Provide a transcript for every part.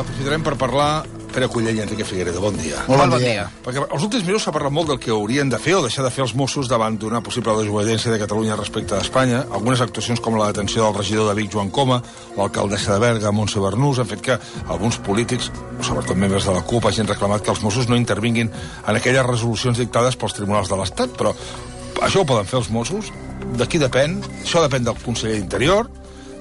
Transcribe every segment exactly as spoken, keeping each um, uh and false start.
aprofitarem per parlar Pere Cullell i Enrique Figueredo. Bon dia. Molt bon dia. Perquè els últims minuts s'ha parlat molt del que haurien de fer o deixar de fer els Mossos davant d'una possible desobediència de Catalunya respecte a Espanya. Algunes actuacions com la detenció del regidor de Vic, Joan Coma, l'alcaldessa de Berga, Montse Bernús, han fet que alguns polítics, sobretot membres de la CUP, hagin reclamat que els Mossos no intervinguin en aquelles resolucions dictades pels tribunals de l'Estat. Però això ho poden fer els Mossos? De qui depèn? Això depèn del conseller d'Interior,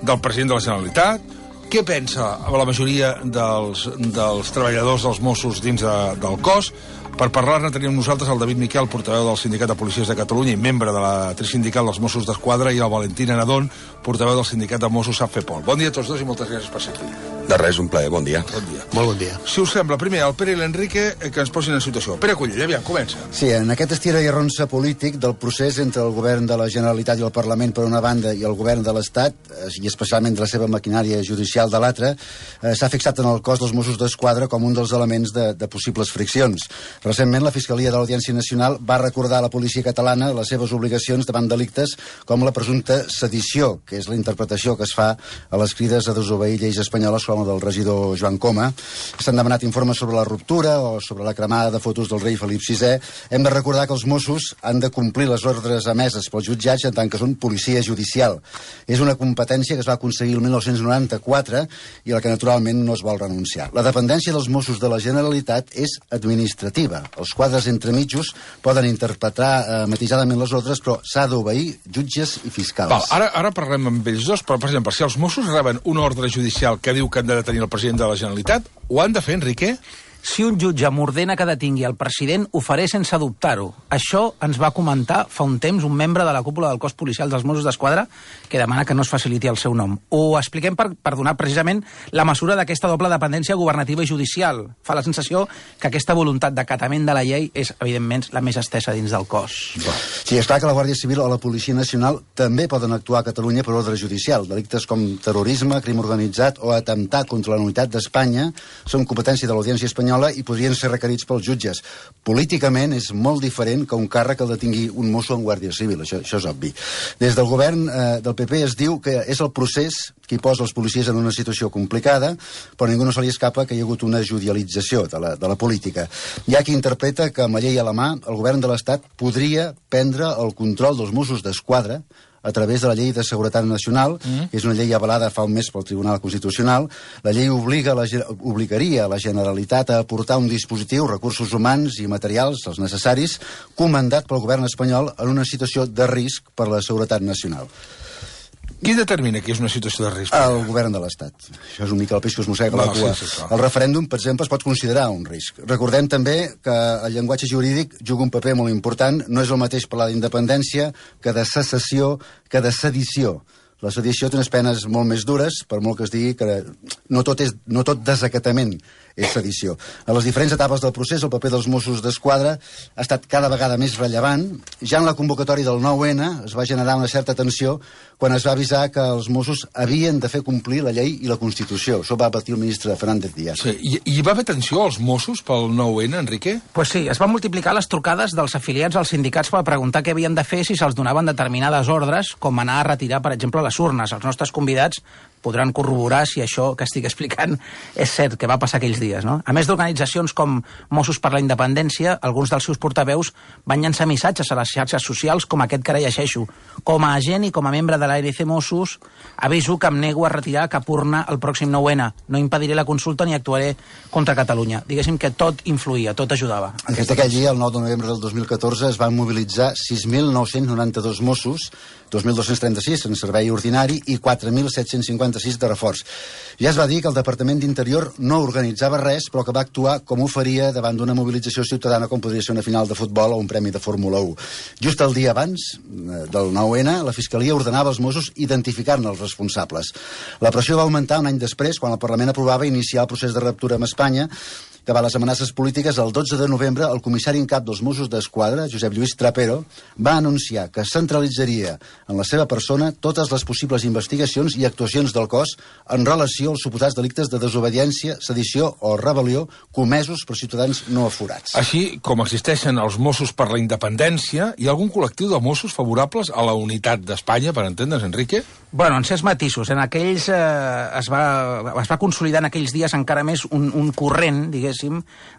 del president de la Generalitat. Què pensa la majoria dels, dels treballadors dels Mossos dins de, del cos? Per parlar-ne tenim nosaltres el David Miquel, portaveu del Sindicat de Policies de Catalunya i membre de la trisindical dels Mossos d'Esquadra, i el Valentín Anadón, portaveu del Sindicat de Mossos SAFEPOL. Bon dia a tots dos i moltes gràcies per ser aquí. De res, un plaer, bon dia. Bon dia. Molt bon dia. Si us sembla, primer el Pere i l'Enrique que ens posin en situació. Pere Cullell, aviam, comença. Sí, en aquest estira i arronsa polític del procés entre el govern de la Generalitat i el Parlament per una banda i el govern de l'Estat, i especialment de la seva maquinària judicial de l'altra, eh, s'ha fixat en el cos dels Mossos d'Esquadra com un dels elements de, de possibles friccions. Recentment, la Fiscalia de l'Audiència Nacional va recordar a la policia catalana les seves obligacions davant delictes com la presumpta sedició, que és la interpretació que es fa a les crides a desobeir lleis espanyoles com la del regidor Joan Coma. S'han demanat informes sobre la ruptura o sobre la cremada de fotos del rei Felip sisè. Hem de recordar que els Mossos han de complir les ordres emeses pels jutjats en tant que són policia judicial. És una competència que es va aconseguir el mil nou-cents noranta-quatre i a la que naturalment no es vol renunciar. La dependència dels Mossos de la Generalitat és administrativa. Els quadres entremitjos poden interpretar eh, matisadament les ordres, però s'ha d'obeir jutges i fiscals. Val, ara, ara parlem amb ells dos, però, per exemple, si els Mossos reben una ordre judicial que diu que han de detenir el president de la Generalitat, ho han de fer, Enrique? Si un jutge m'ordena que detingui el president, ho faré sense dubtar-ho. Això ens va comentar fa un temps un membre de la cúpula del cos policial dels Mossos d'Esquadra que demana que no es faciliti el seu nom. Ho expliquem per, per donar precisament la mesura d'aquesta doble dependència governativa i judicial. Fa la sensació que aquesta voluntat d'acatament de la llei és, evidentment, la més estesa dins del cos. Sí, és clar que la Guàrdia Civil o la Policia Nacional també poden actuar a Catalunya per ordre judicial. Delictes com terrorisme, crim organitzat o atemptar contra la unitat d'Espanya són competència de l'Audiència Espanyola i podrien ser requerits pels jutges. Políticament és molt diferent que un càrrec el detingui un mosso en Guàrdia Civil, això, això és obvi. Des del govern eh, del P P es diu que és el procés qui posa els policies en una situació complicada, però ningú no se li escapa que hi ha hagut una judicialització de la, de la política. Hi ha qui interpreta que amb la llei a la mà el govern de l'Estat podria prendre el control dels Mossos d'Esquadra a través de la llei de seguretat nacional, mm. que és una llei avalada fa un mes pel Tribunal Constitucional. La llei obliga la, obligaria la Generalitat a aportar un dispositiu, recursos humans i materials, els necessaris, comandat pel govern espanyol en una situació de risc per a la seguretat nacional. Qui determina que és una situació de risc? El govern de l'Estat. Això és un mica el peix que es mossega la cua. Sí, sí, sí. El referèndum, per exemple, es pot considerar un risc. Recordem també que el llenguatge jurídic juga un paper molt important. No és el mateix parlar d'independència que de secessió, que de sedició. La sedició té unes penes molt més dures, per molt que es digui que no tot, és, no tot desacatament és sedició. A les diferents etapes del procés, el paper dels Mossos d'Esquadra ha estat cada vegada més rellevant. Ja en la convocatòria del nou ene es va generar una certa tensió quan es va avisar que els Mossos havien de fer complir la llei i la Constitució. Això va patir el ministre Fernández Díaz. Sí, i, i va haver tensió als Mossos pel nou ene, Enrique? Pues sí, es van multiplicar les trucades dels afiliats als sindicats per preguntar què havien de fer si se'ls donaven determinades ordres, com anar a retirar, per exemple, les urnes. Els nostres convidats podran corroborar si això que estic explicant és cert, que va passar aquells dies, no? A més d'organitzacions com Mossos per la Independència, alguns dels seus portaveus van llançar missatges a les xarxes socials com aquest que ara llegeixo. Com a agent i com a membre de l'A R C Mossos, aviso que em nego a retirar cap urna el pròxim nou ene. No impediré la consulta ni actuaré contra Catalunya. Diguéssim que tot influïa, tot ajudava. Aquest aquell dia, el nou de novembre del dos mil catorze, es van mobilitzar sis mil nou-cents noranta-dos Mossos, dos mil dos-cents trenta-sis en servei ordinari i quatre mil set-cents cinquanta-sis de reforç. Ja es va dir que el Departament d'Interior no organitzava res, però que va actuar com ho faria davant d'una mobilització ciutadana com podria ser una final de futbol o un premi de Fórmula u. Just el dia abans del nou ene, la Fiscalia ordenava als Mossos identificar-ne els responsables. La pressió va augmentar un any després, quan el Parlament aprovava iniciar el procés de ruptura amb Espanya. Davant les amenaces polítiques, el dotze de novembre, el comissari en cap dels Mossos d'Esquadra, Josep Lluís Trapero, va anunciar que centralitzaria en la seva persona totes les possibles investigacions i actuacions del cos en relació als suposats delictes de desobediència, sedició o rebel·lió comesos per ciutadans no aforats. Així com existeixen els Mossos per la Independència, hi ha algun col·lectiu de Mossos favorables a la unitat d'Espanya, per entendre's, Enrique? Bueno, en certs matisos. En aquells eh, es, va, es va consolidar en aquells dies encara més un, un corrent, diguéssim,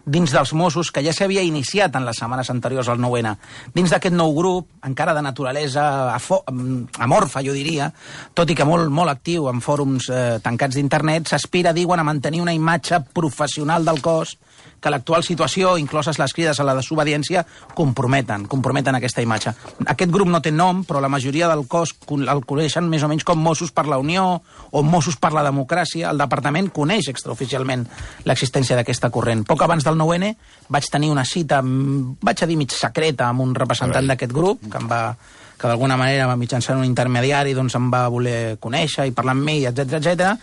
dins dels Mossos, que ja s'havia iniciat en les setmanes anteriors al nou ene. Dins d'aquest nou grup, encara de naturalesa amorfa, jo diria, tot i que molt, molt actiu en fòrums eh, tancats d'internet, s'aspira, diuen, a mantenir una imatge professional del cos que l'actual situació, incloses les crides a la desobediència, comprometen, comprometen aquesta imatge. Aquest grup no té nom, però la majoria del cos el coneixen més o menys com Mossos per la Unió o Mossos per la Democràcia. El departament coneix extraoficialment l'existència d'aquesta corrent. Poc abans del nou ene vaig tenir una cita, vaig a dir mig secreta, amb un representant d'aquest grup, que em va que d'alguna manera, mitjançant un intermediari, doncs em va voler conèixer i parlar amb mi, etcètera, etcètera.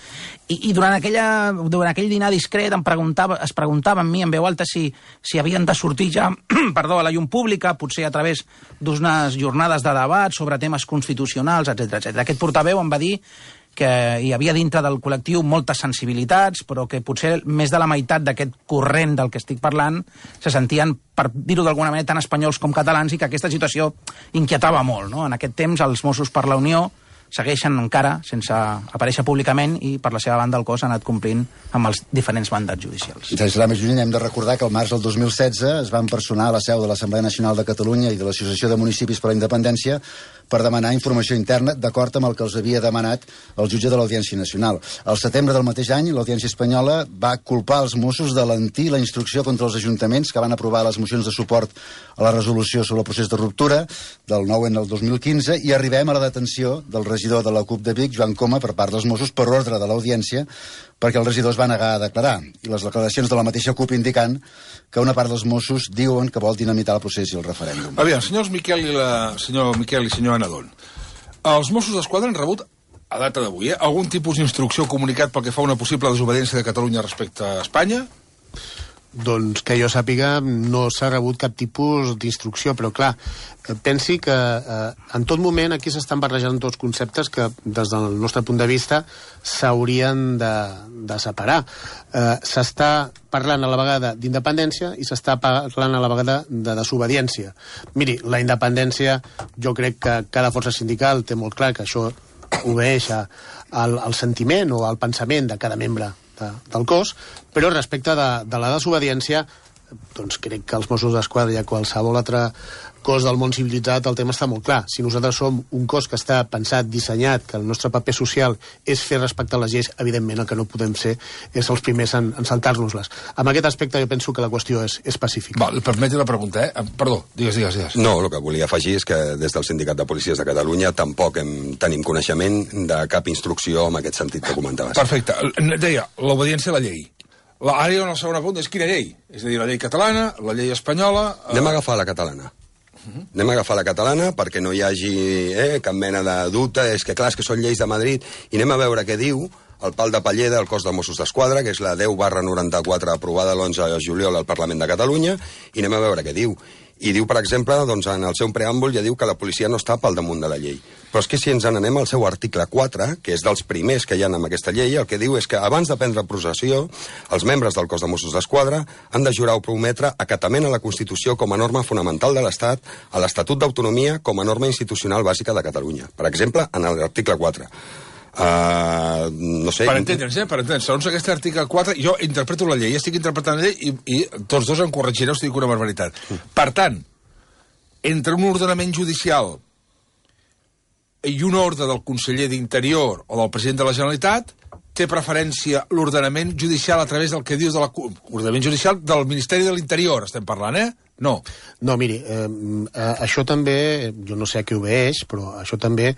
I, i durant, aquella, durant aquell dinar discret em preguntava, es preguntava amb mi en veu alta si, si havien de sortir ja perdó, a la llum pública, potser a través d'unes jornades de debat sobre temes constitucionals, etcètera, etcètera. Aquest portaveu em va dir que hi havia dintre del col·lectiu moltes sensibilitats, però que potser més de la meitat d'aquest corrent del que estic parlant se sentien, per dir-ho d'alguna manera, tan espanyols com catalans, i que aquesta situació inquietava molt, no? En aquest temps, els Mossos per la Unió segueixen encara sense aparèixer públicament i, per la seva banda, el cos ha anat complint amb els diferents mandats judicials. I sense anar més lluny, hem de recordar que el març del dos mil setze es van personar a la seu de l'Assemblea Nacional de Catalunya i de l'Associació de Municipis per la Independència per demanar informació interna d'acord amb el que els havia demanat el jutge de l'Audiència Nacional. Al setembre del mateix any, l'Audiència Espanyola va culpar els Mossos de lentir la instrucció contra els ajuntaments que van aprovar les mocions de suport a la resolució sobre el procés de ruptura del nou ene del dos mil quinze, i arribem a la detenció del regidor de la CUP de Vic, Joan Coma, per part dels Mossos per ordre de l'Audiència, perquè el regidor es va negar a declarar, i les declaracions de la mateixa CUP indicant que una part dels Mossos diuen que vol dinamitar el procés i el referèndum. Aviam, senyors Miquel i la... senyor Miquel i senyor Anadon, els Mossos d'Esquadra han rebut, a data d'avui, eh, algun tipus d'instrucció comunicat pel que fa a una possible desobediència de Catalunya respecte a Espanya? Doncs que jo sàpiga no s'ha rebut cap tipus d'instrucció, però clar, pensi que eh, en tot moment aquí s'estan barrejant tots conceptes que des del nostre punt de vista s'haurien de, de separar. Eh, s'està parlant a la vegada d'independència i s'està parlant a la vegada de desobediència. Miri, la independència, jo crec que cada força sindical té molt clar que això obeeix al, al sentiment o al pensament de cada membre de, del cos, però respecte de, de la desobediència, doncs crec que els Mossos d'Esquadra i a qualsevol altre cos del món civilitzat el tema està molt clar. Si nosaltres som un cos que està pensat, dissenyat, que el nostre paper social és fer respectar les lleis, evidentment el que no podem ser és els primers en, en saltar-nos-les. En aquest aspecte jo penso que la qüestió és, és pacífica. Val, permeti la pregunta, eh? Perdó, digues, digues, digues. No, el que volia afegir és que des del Sindicat de Policies de Catalunya tampoc hem, tenim coneixement de cap instrucció en aquest sentit que comentaves. Perfecte. Deia, l'obediència a la llei. La, ara hi ha una segona pregunta, és quina llei? És a dir, la llei catalana, la llei espanyola... Eh... Anem a agafar la catalana. Uh-huh. Anem a agafar la catalana perquè no hi hagi eh, cap mena de dubte. És que clar, és que són lleis de Madrid. I anem a veure què diu el pal de paller del cos de Mossos d'Esquadra, que és la deu barra noranta-quatre aprovada l'onze de juliol al Parlament de Catalunya, i anem a veure què diu. I diu, per exemple, doncs, en el seu preàmbul ja diu que la policia no està pel damunt de la llei. Però és que si ens n'anem al seu article quatre, que és dels primers que hi ha en aquesta llei, el que diu és que abans de prendre possessió, els membres del cos de Mossos d'Esquadra han de jurar o prometre acatament a la Constitució com a norma fonamental de l'Estat, a l'Estatut d'Autonomia com a norma institucional bàsica de Catalunya. Per exemple, en l'article quatre. Uh, no sé... Per entendre'ns, eh? Per entendre'ns. Segons aquest article quatre, jo interpreto la llei, estic interpretant la llei i, i tots dos em corregireu si dic una barbaritat. Mm. Per tant, entre un ordenament judicial i una ordre del conseller d'Interior o del president de la Generalitat, té preferència l'ordenament judicial a través del que dius de la... Ordenament judicial del Ministeri de l'Interior, estem parlant, eh? No. No, miri, eh, eh, això també, jo no sé a què obeeix, però això també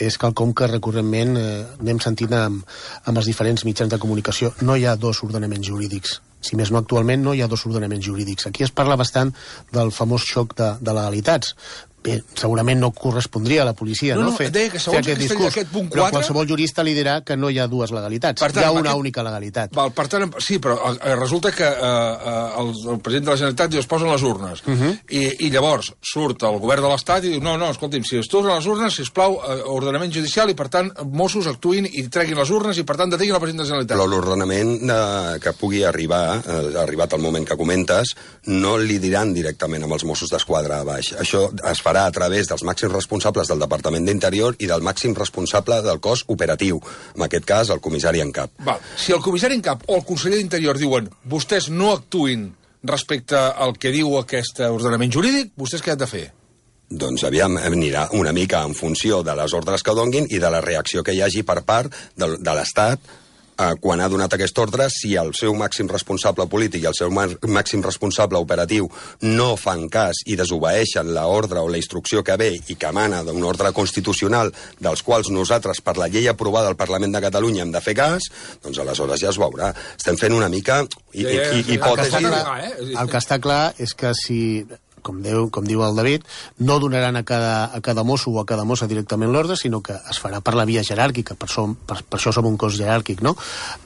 és quelcom que recurrentment eh, anem sentint amb, amb els diferents mitjans de comunicació. No hi ha dos ordenaments jurídics. Si més no, actualment no hi ha dos ordenaments jurídics. Aquí es parla bastant del famós xoc de, de legalitats. Bé, segurament no correspondria a la policia, no? No, no fer, deia que segons fer aquest aquest, discurs, aquest punt quatre... Però qualsevol jurista li dirà que no hi ha dues legalitats. Tant, hi ha una aquest... única legalitat. Val, per tant, sí, però eh, resulta que eh, el, el president de la Generalitat diu, es posen les urnes. Uh -huh. I, I llavors surt el govern de l'Estat i diu, no, no, escolti'm, si es posen les urnes, sisplau, eh, ordenament judicial, i per tant Mossos actuïn i treguin les urnes i per tant detinguin el president de la Generalitat. Però l'ordenament eh, que pugui arribar, eh, arribat al moment que comentes, no li diran directament amb els Mossos d'Esquadra a baix. Això es fa farà a través dels màxims responsables del Departament d'Interior i del màxim responsable del cos operatiu, en aquest cas el comissari en cap. Val. Si el comissari en cap o el conseller d'Interior diuen vostès no actuïn respecte al que diu aquest ordenament jurídic, vostès què han de fer? Doncs aviam, anirà una mica en funció de les ordres que donguin i de la reacció que hi hagi per part de, de l'Estat eh, quan ha donat aquest ordre, si el seu màxim responsable polític i el seu màxim responsable operatiu no fan cas i desobeeixen l'ordre o la instrucció que ve i que emana d'un ordre constitucional dels quals nosaltres, per la llei aprovada al Parlament de Catalunya, hem de fer cas, doncs aleshores ja es veurà. Estem fent una mica i, i, i, hipòtesi... El que, clar, el que està clar és que si... Com diu, com diu el David, no donaran a cada, a cada mosso o a cada mossa directament l'ordre, sinó que es farà per la via jeràrquica, per, som, per, per això som un cos jeràrquic, no?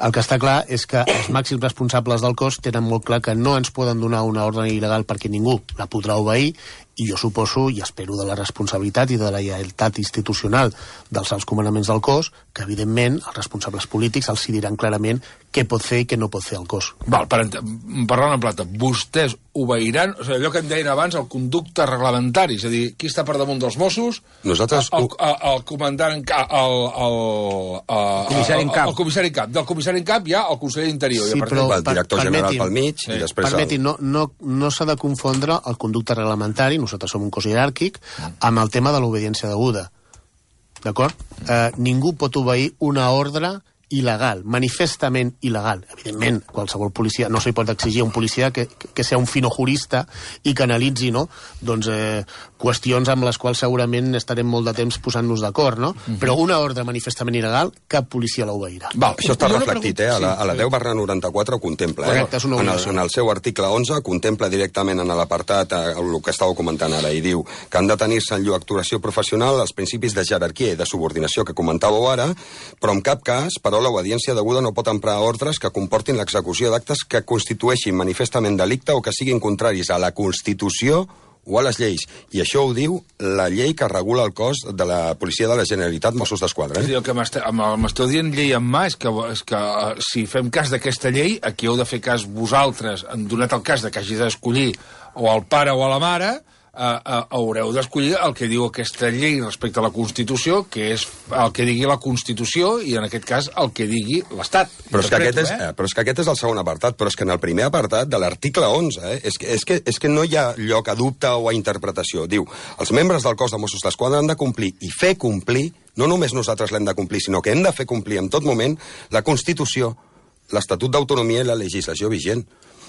El que està clar és que els màxims responsables del cos tenen molt clar que no ens poden donar una ordre il·legal perquè ningú la podrà obeir, i jo suposo i espero de la responsabilitat i de la lleialtat institucional dels alts comandaments del cos, que evidentment els responsables polítics els diran clarament què pot fer i què no pot fer el cos. Val, per, parlant en plata, vostès obeiran, o sigui, allò que em deien abans, el conducte reglamentari, és a dir, qui està per damunt dels Mossos? Nosaltres... El, el, el comandant en cap, el, el, el, comissari en cap. El, el comissari en cap. Del comissari en cap hi ha el conseller d'Interior. Sí, però el director general pel mig sí. i després... Permetin, el... no, no, no s'ha de confondre el conducte reglamentari, nosaltres som un cos jeràrquic, amb el tema de l'obediència deguda. D'acord? Eh, ningú pot obeir una ordre il·legal, manifestament il·legal. Evidentment, qualsevol policia, no s'hi pot exigir a un policia que, que sigui un fino jurista i que analitzi, no?, doncs, eh, qüestions amb les quals segurament estarem molt de temps posant-nos d'acord, no? Uh-huh. Però una ordre manifestament il·legal, cap policia l'obeirà. Val, això està reflectit, eh? A la, a la deu barra noranta-quatre ho contempla, eh? Correcte, és una en, el, obligació. en el seu article onze contempla directament en l'apartat eh, el que estàveu comentant ara, i diu que han de tenir-se en llur actuació professional els principis de jerarquia i de subordinació que comentàveu ara, però en cap cas, però l'obediència deguda no pot emprar ordres que comportin l'execució d'actes que constitueixin manifestament delicte o que siguin contraris a la Constitució o a les lleis. I això ho diu la llei que regula el cos de la Policia de la Generalitat, Mossos d'Esquadra. Eh? El que m'esteu dient llei en mà és que, és que uh, si fem cas d'aquesta llei, aquí heu de fer cas vosaltres, en donat el cas de que hagi d'escollir o el pare o a la mare, Uh, uh, haureu d'escollir el que diu aquesta llei respecte a la Constitució, que és el que digui la Constitució i, en aquest cas, el que digui l'Estat. Però és, que aquest és, eh? però és que aquest és el segon apartat, però és que en el primer apartat de l'article onze, eh? és, que, és, que, és que no hi ha lloc a dubte o a interpretació. Diu, els membres del cos de Mossos d'Esquadra han de complir i fer complir, no només nosaltres l'hem de complir, sinó que hem de fer complir en tot moment la Constitució, l'Estatut d'Autonomia i la legislació vigent.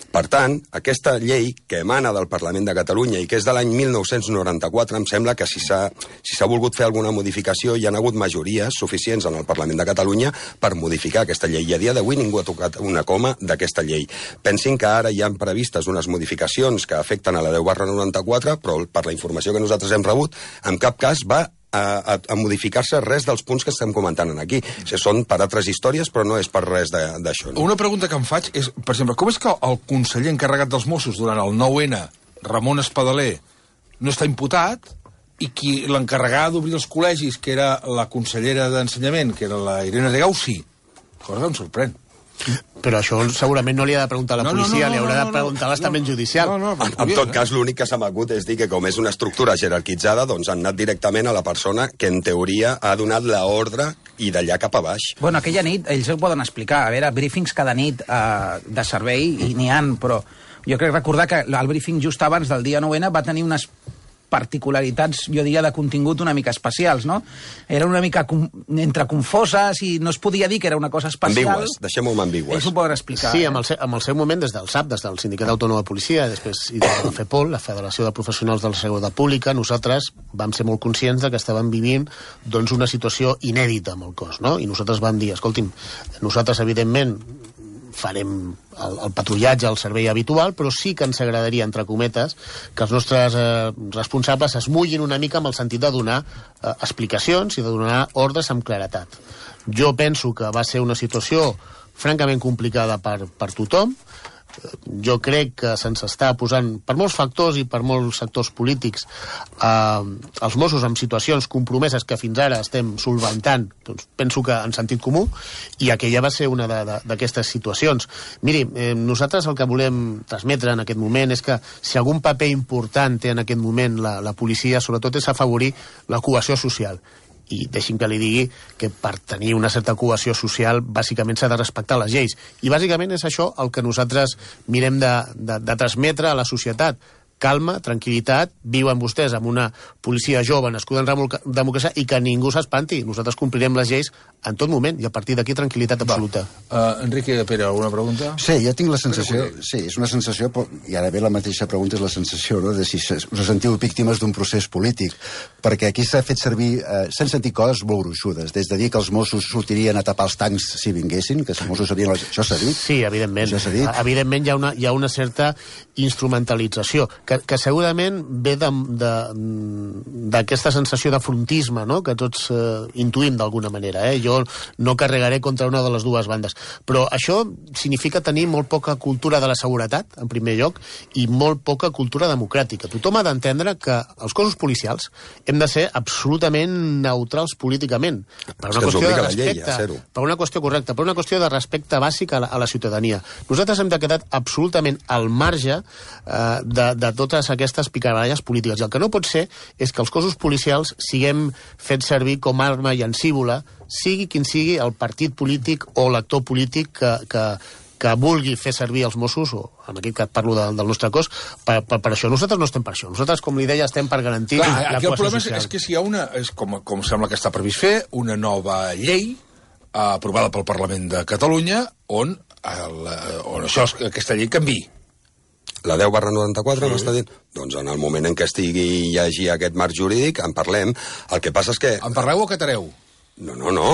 Per tant, aquesta llei que emana del Parlament de Catalunya i que és de l'any mil nou-cents noranta-quatre, em sembla que si s'ha si s'ha volgut fer alguna modificació hi ha hagut majories suficients en el Parlament de Catalunya per modificar aquesta llei. I a dia d'avui ningú ha tocat una coma d'aquesta llei. Pensin que ara hi han previstes unes modificacions que afecten a la deu barra noranta-quatre, però per la informació que nosaltres hem rebut, en cap cas va a, a, a modificar-se res dels punts que estem comentant aquí. O sigui, són per altres històries, però no és per res d'això. No? Una pregunta que em faig és, per exemple, com és que el conseller encarregat dels Mossos durant el nou ena, Ramon Espadaler, no està imputat, i qui l'encarregava d'obrir els col·legis, que era la consellera d'Ensenyament, que era la Irene Rigau, sí. Cosa que em sorprèn. Però això segurament no li ha de preguntar a la no, policia, no, no, li haurà no, no, de preguntar a l'estament no, judicial. No, no, en, en tot cas, l'únic que s'ha m'acut és dir que com és una estructura jerarquitzada, doncs han anat directament a la persona que en teoria ha donat l'ordre i d'allà cap a baix. Bueno, aquella nit, ells ho poden explicar. A veure, briefings cada nit eh, de servei, i n'hi han, però jo crec recordar que el briefing just abans del dia nou ena va tenir unes particularitats, jo diria, de contingut una mica especials, no? Era una mica com, entre confoses i no es podia dir que era una cosa especial. Ambigües, deixem-ho amb ambigües. Ells ho poden explicar. Sí, eh? amb el, seu, amb el seu moment des del S A P, des del Sindicat Autònom de Policia, després i de la FEPOL, la Federació de Professionals de la Seguretat Pública, nosaltres vam ser molt conscients de que estàvem vivint doncs, una situació inèdita amb el cos, no? I nosaltres vam dir, escolti'm, nosaltres evidentment farem el, el patrullatge, el servei habitual, però sí que ens agradaria, entre cometes, que els nostres eh, responsables es mullin una mica amb el sentit de donar eh, explicacions i de donar ordres amb claretat. Jo penso que va ser una situació francament complicada per, per tothom. jo crec que se'ns està posant, per molts factors i per molts sectors polítics, eh, els Mossos en situacions compromeses que fins ara estem solventant, doncs penso que en sentit comú, i aquella va ser una d'aquestes situacions. Miri, eh, nosaltres el que volem transmetre en aquest moment és que si algun paper important té en aquest moment la, la policia, sobretot és afavorir la cohesió social. I deixi'm que li digui que per tenir una certa cohesió social bàsicament s'ha de respectar les lleis. I bàsicament és això el que nosaltres mirem de, de, de transmetre a la societat. Calma, tranquil·litat, viuen vostès amb una policia jove nascuda en democràcia i que ningú s'espanti. Nosaltres complirem les lleis en tot moment i a partir d'aquí tranquil·litat absoluta. Uh, Enrique Pere, alguna pregunta? Sí, jo tinc la sensació, sí, és una sensació, i ara ve la mateixa pregunta, és la sensació, no?, de si us sentiu víctimes d'un procés polític, perquè aquí s'ha fet servir, eh, s'han sentit coses molt gruixudes, des de dir que els Mossos sortirien a tapar els tancs si vinguessin, que els Mossos sabien... Això s'ha dit? Sí, evidentment. Això s'ha dit? Evidentment hi ha una, hi ha una certa instrumentalització, que, que segurament ve d'aquesta sensació de frontisme, no?, que tots eh, intuïm d'alguna manera. Eh? Jo no carregaré contra una de les dues bandes. Però això significa tenir molt poca cultura de la seguretat, en primer lloc, i molt poca cultura democràtica. Tothom ha d'entendre que els cossos policials hem de ser absolutament neutrals políticament. Per una qüestió de respecte, per una qüestió correcta, per una qüestió de respecte bàsic a la, a la ciutadania. Nosaltres hem de quedar absolutament al marge eh, de, de totes aquestes picabaralles polítiques. I el que no pot ser és que els cossos policials siguem fets servir com a arma llancívola, sigui quin sigui el partit polític o l'actor polític que, que, que vulgui fer servir els Mossos, o en aquest cas parlo de, del nostre cos, per, per, per això. Nosaltres no estem per això. Nosaltres, com li deia, estem per garantir Clar, la aquí el cohesió problema social. És, és que si hi ha una, és com, com sembla que està previst fer, una nova llei eh, aprovada pel Parlament de Catalunya on, el, on això, aquesta llei canviï. La deu barra noranta-quatre, sí. M'està dient? Doncs en el moment en què estigui i hi hagi aquest marc jurídic, en parlem. El que passa és que... En parleu o acatareu? No, no, no.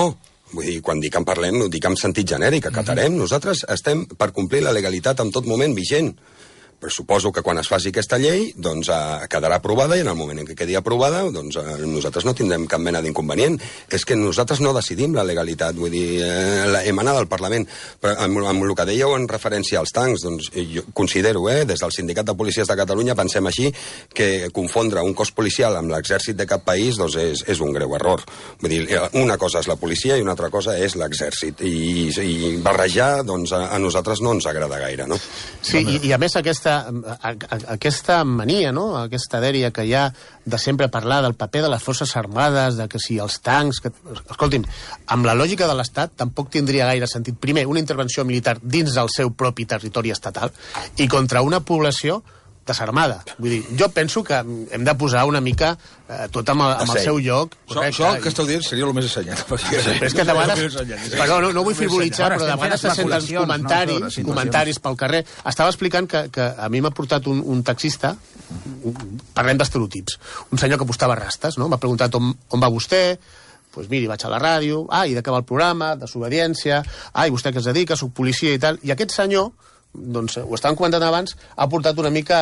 Vull dir, quan dic en parlem, ho dic en sentit genèric, acatarem. Mm-hmm. Nosaltres estem per complir la legalitat en tot moment vigent. Però suposo que quan es faci aquesta llei, doncs eh, quedarà aprovada, i en el moment en què quedi aprovada, doncs eh, nosaltres no tindrem cap mena d'inconvenient. És que nosaltres no decidim la legalitat, vull dir, eh, la emanada del Parlament. Però amb, amb el que dèieu en referència als tancs, doncs jo considero, eh, des del Sindicat de Policies de Catalunya, pensem així, que confondre un cos policial amb l'exèrcit de cap país, doncs és, és un greu error. Vull dir, una cosa és la policia i una altra cosa és l'exèrcit. I, i barrejar, doncs a, a nosaltres no ens agrada gaire, no? Sí, i, i a més aquesta A, a, aquesta mania, no?, aquesta dèria que hi ha de sempre parlar del paper de les forces armades, de que si els tancs... Que... Escolti'm, amb la lògica de l'Estat tampoc tindria gaire sentit, primer, una intervenció militar dins del seu propi territori estatal i contra una població desarmada. Vull dir, jo penso que hem de posar una mica eh, tot amb, el, amb el seu lloc. Això, això que esteu dient seria el més assenyat. Sí, però és que de vegades... Però no, no vull frivolitzar, però de vegades se senten comentaris, no, comentaris pel carrer. Estava explicant que, que a mi m'ha portat un, un taxista, parlem d'estereotips, un senyor que postava rastes, no? M'ha preguntat on, on va vostè, pues miri, vaig a la ràdio, ah, i d'acabar el programa, desobediència, ah, i vostè què es dedica, soc policia i tal, i aquest senyor, doncs ho estàvem comentant abans, ha portat una mica,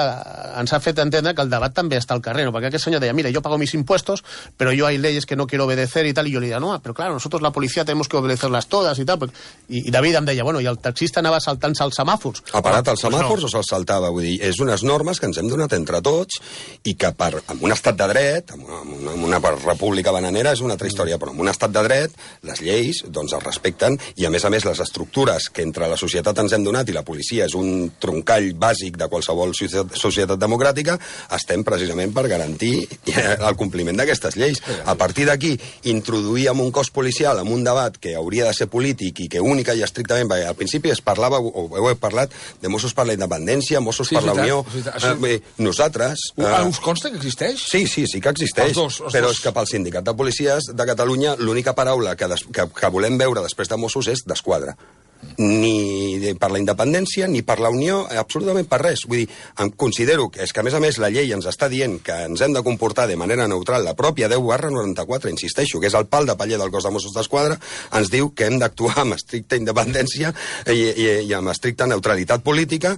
ens ha fet entendre que el debat també està al carrer, no? Perquè aquest senyor deia, mira, yo pago mis impuestos, pero yo hay leyes que no quiero obedecer y tal, y yo le diría, no, pero claro, nosotros la policía tenemos que obedecerlas todas y tal, i, i David em deia, bueno, i el taxista anava saltant-se els semàfors. Ha parat els semàfors pues no. O se'ls saltava? Vull dir, és unes normes que ens hem donat entre tots i que per, en un estat de dret, en una, en una república bananera és una altra història, però en un estat de dret les lleis doncs es respecten i a més a més les estructures que entre la societat ens hem donat i la policia és un troncall bàsic de qualsevol societat democràtica, estem precisament per garantir el compliment d'aquestes lleis. A partir d'aquí, introduir en un cos policial en un debat que hauria de ser polític i que única i estrictament, perquè al principi es parlava, o heu parlat, de Mossos per la independència, Mossos sí, per la Unió. Això... Eh, nosaltres... Uh, us consta que existeix? Sí, sí, sí que existeix. Els dos, els però dos. És que pel Sindicat de Policies de Catalunya l'única paraula que, des, que, que volem veure després de Mossos és d'esquadra. Ni per la independència, ni per la Unió, absolutament per res. Vull dir, em considero que és que, a més a més, la llei ens està dient que ens hem de comportar de manera neutral. La pròpia deu barra noranta-quatre, insisteixo, que és el pal de paller del cos de Mossos d'Esquadra, ens diu que hem d'actuar amb estricta independència i, i, i amb estricta neutralitat política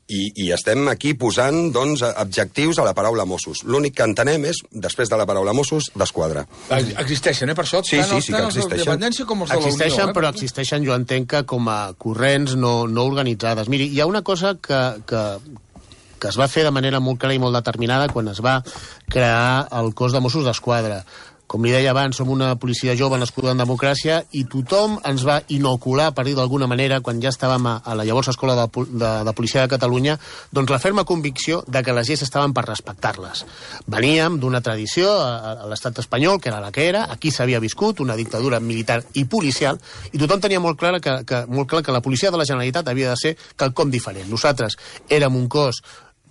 I, i estem aquí posant, doncs, adjectius a la paraula Mossos. L'únic que entenem és, després de la paraula Mossos, d'Esquadra. Existeixen, eh, per això? Sí, tant sí, els, sí que tant els de existeixen. dependència com els de la Unió. Existeixen, eh? però existeixen, jo entenc que com a corrents no, no organitzades. Miri, hi ha una cosa que, que, que es va fer de manera molt clara i molt determinada quan es va crear el cos de Mossos d'Esquadra. Com li deia abans, som una policia jove nascuda en democràcia i tothom ens va inocular, per dir d'alguna manera, quan ja estàvem a, a la llavors Escola de, de, de Policia de Catalunya, doncs la ferma convicció de que les lleis estaven per respectar-les. Veníem d'una tradició a, a l'estat espanyol, que era la que era, aquí s'havia viscut una dictadura militar i policial, i tothom tenia molt clar que, que, molt clar que la policia de la Generalitat havia de ser quelcom diferent. Nosaltres érem un cos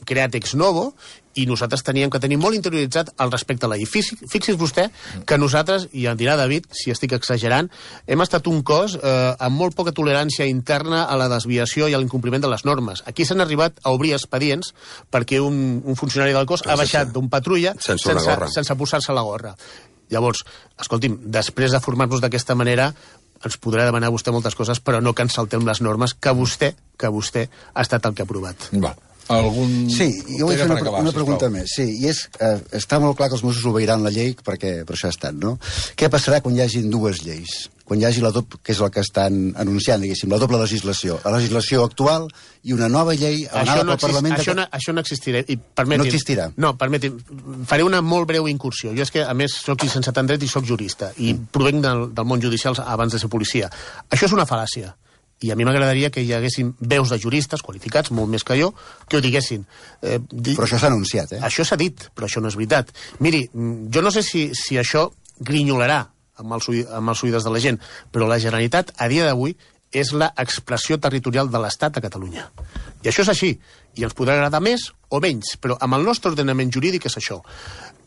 creat ex novo, i nosaltres teníem que tenir molt interioritzat al respecte a la llei. Fixi's vostè que nosaltres, i en dirà David, si estic exagerant, hem estat un cos eh, amb molt poca tolerància interna a la desviació i a l'incompliment de les normes. Aquí s'han arribat a obrir expedients perquè un, un funcionari del cos ha baixat d'un patrulla sense, sense, sense posar-se la gorra. Llavors, escolti'm, després de formar-nos d'aquesta manera, ens podrà demanar vostè moltes coses, però no que ens saltem les normes que vostè, que vostè ha estat el que ha aprovat. Va. Algun... Sí, jo vull fer una, acabar, una pregunta més. Sí, i és, eh, està molt clar que els Mossos obeiran la llei perquè per això estan, no? Què passarà quan hi hagin dues lleis? Quan hi hagi la doble, que és el que estan anunciant, diguéssim, la doble legislació. La legislació actual i una nova llei anada no pel Parlament... Això, de... no, això no existirà. I permeti'm, no existirà? No, permeti'm. Faré una molt breu incursió. Jo és que, a més, soc llicenciat en dret i soc jurista, i provenc del, del món judicial abans de ser policia. Això és una fal·làcia. I a mi m'agradaria que hi haguessin veus de juristes qualificats, molt més que jo, que ho diguessin. Eh, di... Però això s'ha anunciat, eh? Això s'ha dit, però això no és veritat. Miri, jo no sé si, si això grinyolarà amb els, amb els oïdes de la gent, però la Generalitat, a dia d'avui, és l'expressió territorial de l'Estat a Catalunya. I això és així. I ens podrà agradar més o menys, però amb el nostre ordenament jurídic és això.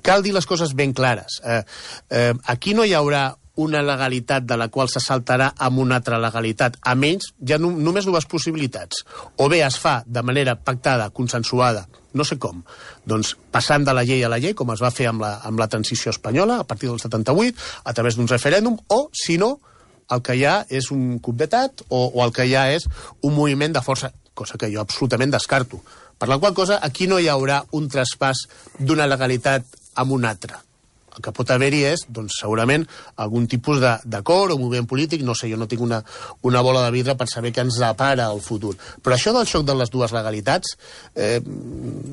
Cal dir les coses ben clares. Eh, eh, aquí no hi haurà una legalitat de la qual se saltarà amb una altra legalitat. A menys, hi ha no, només dues possibilitats. O bé es fa de manera pactada, consensuada, no sé com, doncs passant de la llei a la llei, com es va fer amb la, amb la transició espanyola, a partir del setanta-vuit, a través d'un referèndum, o, si no, el que hi ha és un coup d'etat o, o el que hi ha és un moviment de força, cosa que jo absolutament descarto. Per la qual cosa, aquí no hi haurà un traspàs d'una legalitat amb una altra. El que pot haver-hi és, doncs, segurament, algun tipus d'acord o moviment polític, no sé, jo no tinc una, una bola de vidre per saber què ens depara el futur. Però això del xoc de les dues legalitats, eh,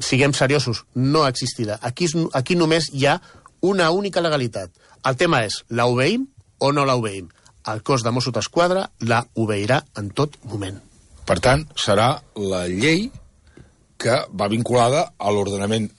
siguem seriosos, no existirà. Aquí, aquí només hi ha una única legalitat. El tema és, la obeïm o no la obeïm? El cos de Mossos d'Esquadra la obeirà en tot moment. Per tant, serà la llei que va vinculada a l'ordenament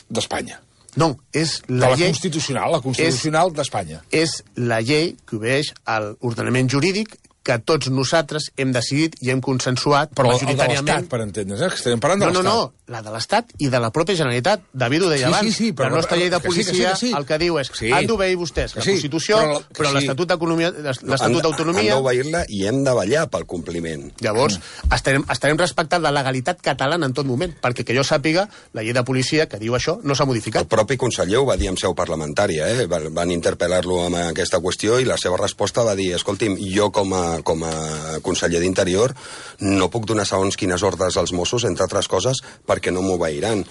d'Espanya. No, és la, la llei... constitucional, la constitucional d'Espanya. És la llei que obeix a l'ordenament jurídic que tots nosaltres hem decidit i hem consensuat però majoritàriament... Però el de l'Estat, per entendre's, eh? Estem parlant de no, l'Estat. No, no, la de l'Estat i de la pròpia Generalitat. David ho deia sí, abans. Sí, sí, però, la nostra llei de que policia sí, que sí, que sí. el que diu és sí. han d'obeir vostès la sí, Constitució, però, però sí. l'Estatut d'Autonomia... Han, han d'obeir-la i hem de ballar pel compliment. Llavors, mm. estarem, estarem respectant la legalitat catalana en tot moment, perquè que jo sàpiga, la llei de policia que diu això no s'ha modificat. El propi conseller ho va dir en seu parlamentària, eh? Van interpel·lar-lo amb aquesta qüestió i la seva resposta va dir, escolti'm, jo com a, com a conseller d'Interior no puc donar segons quines ordres als Mossos, entre altres coses, perquè no m'obeiran.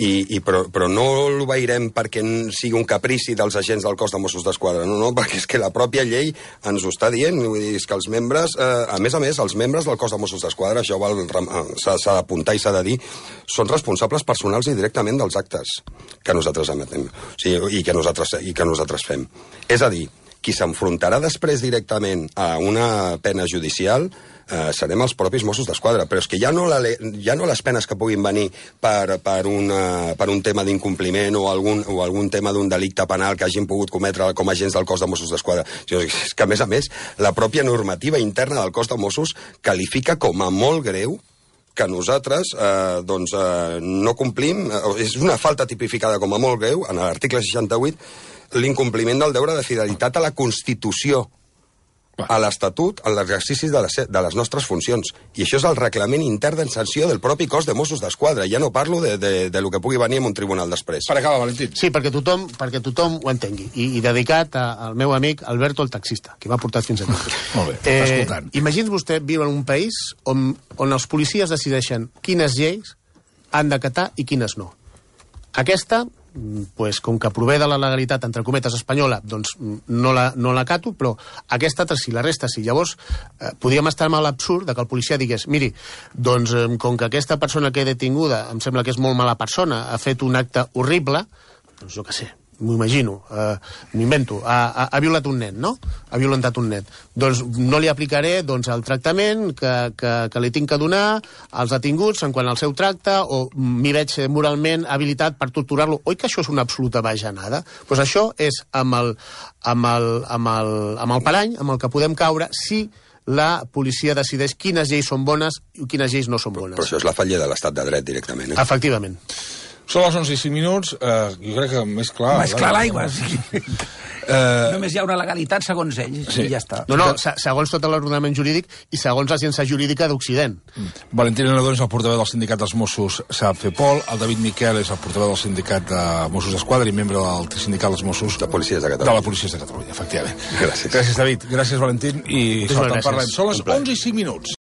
I, i, però, però no l'obeirem perquè sigui un caprici dels agents del cos de Mossos d'Esquadra, no, no, perquè és que la pròpia llei ens ho està dient, vull dir, és que els membres, eh, a més a més, els membres del cos de Mossos d'Esquadra, això s'ha d'apuntar i s'ha de dir, són responsables personals i directament dels actes que nosaltres emetem, o sigui, i, que nosaltres, i que nosaltres fem. És a dir, qui s'enfrontarà després directament a una pena judicial eh, serem els propis Mossos d'Esquadra, però és que ja no, la, ja no les penes que puguin venir per, per, una, per un tema d'incompliment o, algun, o algun tema d'un delicte penal que hagin pogut cometre com a agents del cos de Mossos d'Esquadra. És que, a més a més, la pròpia normativa interna del cos de Mossos qualifica com a molt greu que nosaltres eh, doncs, eh, no complim, eh, és una falta tipificada com a molt greu, en l'article seixanta-vuit, l'incompliment del deure de fidelitat a la Constitució, a l'Estatut, en l'exercici de, les, de les nostres funcions. I això és el reglament intern de sanció del propi cos de Mossos d'Esquadra. Ja no parlo de, de, de lo que pugui venir en un tribunal després. Per acabar, Valentín. Sí, perquè tothom, perquè tothom ho entengui. I, i dedicat a, al meu amic Alberto, el taxista, que m'ha portat fins aquí. Molt bé, t'està escoltant. Imagini's vostè viure en un país on, on els policies decideixen quines lleis han d'acatar i quines no. Aquesta, pues, com que prové de la legalitat, entre cometes, espanyola, doncs no la, no la cato, però aquesta altra sí, la resta sí. Llavors, eh, podríem estar amb l'absurd de que el policia digués, miri, doncs eh, com que aquesta persona que he detinguda em sembla que és molt mala persona, ha fet un acte horrible, doncs jo què sé, m'ho imagino, eh, m'ho invento, ha, ha, ha violat un nen, no? Ha violentat un nen. Doncs no li aplicaré doncs, el tractament que, que, que li tinc que donar als detinguts en quant al seu tracte, o m'hi veig moralment habilitat per torturar-lo. Oi que això és una absoluta bajanada? Doncs pues això és amb el, amb, el, amb, el, amb el parany, amb el que podem caure, si la policia decideix quines lleis són bones i quines lleis no són bones. Però això és la falla de l'estat de dret directament, eh? Efectivament. Són les onze i cinc minuts, eh, jo crec que més clar... Més clar l'aigua, sí. Eh... Només hi ha una legalitat segons ells, sí. I ja està. No, no, segons tot l'ordenament jurídic i segons la ciència jurídica d'Occident. Mm. Valentín Nadó és el portaveu del sindicat dels Mossos SAPFEPOL, el David Miquel és el portaveu del sindicat de Mossos d'Esquadra i membre del sindicat dels Mossos... De Policies de Catalunya. De la Policies de Catalunya, efectivament. Gràcies. Gràcies, David. Gràcies, Valentín. I Moltes sort, en gràcies. parlem. Són les onze i cinc minuts.